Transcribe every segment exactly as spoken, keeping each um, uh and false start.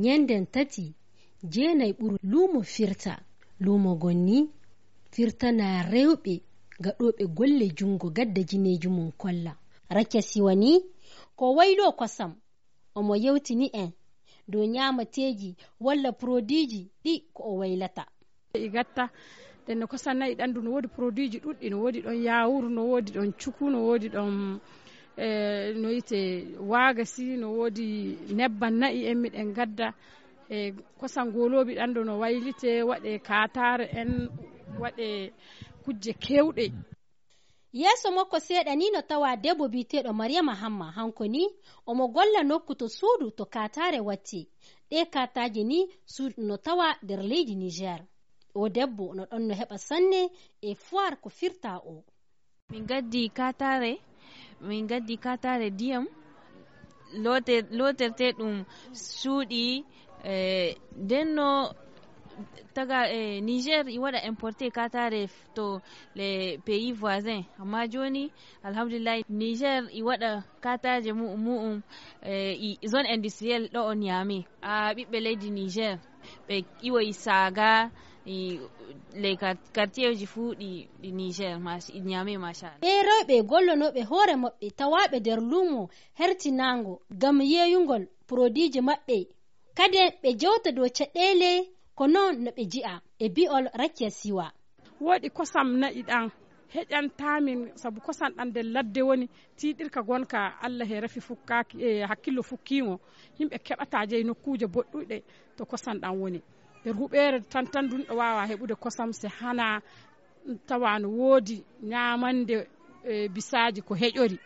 Ñennden tati, jeenay ɓuru luumo firta. Luumo gon ni firtana rewɓe gaɗooɓe golle junngo gadda jineeji mum kolla. Rakia Siwa ni ko wayloo kosam. Omo yewtini en dow ñaamateeji walla poroduiji ɗi ko o waylata. I gatta ɗen no kosam na'i ɗanndu, no woodi poroduiji ɗuɗɗi, no woodi ɗon yaawuru, no woodi ɗon cuku, no woodi ɗon, eh, no wiyetee waagasi, no woodi nebban na'i en miɗen gadda. E kosam ngooloobi ɗanndu no waylitee, waɗee kaataare en, waɗee kujje keewɗe. Yeeso makko seeɗa ni no tawa debbo biyeteeɗo Mariama Hamma, hanko ni omo golla nokku to suudu to kaataare watti. Ɗee kaataaje ni suudu no tawa nder leydi Niger. O debbo no ɗon no heɓa sanne e foire ko firta o. Min gaddi kaataare, min gaddi kaataare diyam, loote-, lootertee ɗum suuɗi, eh, nden no taga, eh, Niger i waɗa importe kaataare f-, to les pays voisins. Amma jooni, alhamdulillahi, Niger i waɗa kaataaje mu-, mu'um, eh, i zone industrielle ɗo o Niamey. A ɓiɓɓe leydi Niger, ɓe iwoyi Saga, i, les quar-, quartierji fuu ɗi, ɗi Niger, mas-, ɗi Niamey, machallah. Ɓee rewɓe gollonooɓe hoore maɓɓe tawaaɓe nder luumo hertinaango ngam yeeyungol poroduiji maɓɓe. Kadi ɓe jewta dow caɗeele ko noon no ɓe nji'a e bi'ol Rakia Siwa. Woodi kosam na'i ɗan heƴantaa min, sabu kosam ɗan nder ladde woni, tiiɗirka gonka Allah he rafi fukkaaki, e hakkillo fukkiingo. Yimɓe keɓataa jeyi nokkuuje boɗɗuɗe to kosam ɗan woni. Nder huɓeere tan tan dunɗo waawa heɓude kosam se hana tawa no woodi ñaamande, e, bisaaji ko heƴori.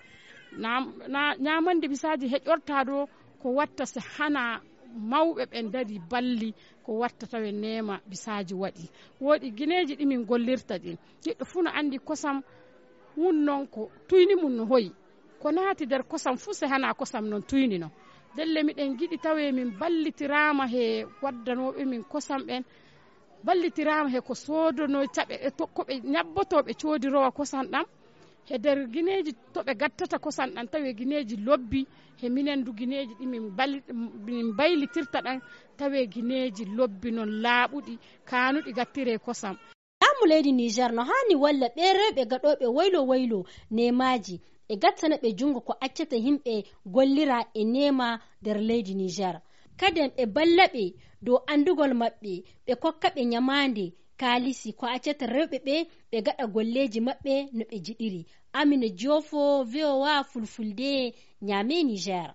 Na, na, ñaamande bisaaji heƴortaa ɗo ko watta se hana mawɓe ɓen ndarii balli ko watta tawe neema bisaaji waɗi. Woodi gineeji ɗi min gollirta ɗin. Neɗɗo fuu no anndi kosam wun non ko tuyni mum no hoyi. Ko naati nder kosam fuu se hana kosam non tuyni non. Ndelle miɗen ngiɗi tawe min ballitiraama he waddanooɓe min kosam ɓen, ballitiraama he ko soodonoy caɓe, e to, ko ɓe ñabbotoo ɓe coodirowa kosam ɗam. He nder gineeji to ɓe gattata kosam ɗam, tawi gineeji lobbi, he minen du gineeji ɗi min bal-, min mbaylitirta ɗam, tawi gineeji lobbi non laaɓuɗi, kaanuɗi gattiree kosam. Laamu leydi Niger no haani walla ɓee rewɓe gaɗooɓe waylo waylo neemaaji, e gattana ɓe junngo ko accata yimɓe gollira e neema nder leydi Niger. Kaden ɓe balla ɓe dow anndugol maɓɓe, ɓe kokka ɓe ñamaande, kaalisi, ko accata rewɓe ɓe, ɓe gaɗa golleeji maɓɓe no ɓe njiɗiri. Amina Diofo, V O A Fulfulde, Niamey, Niger.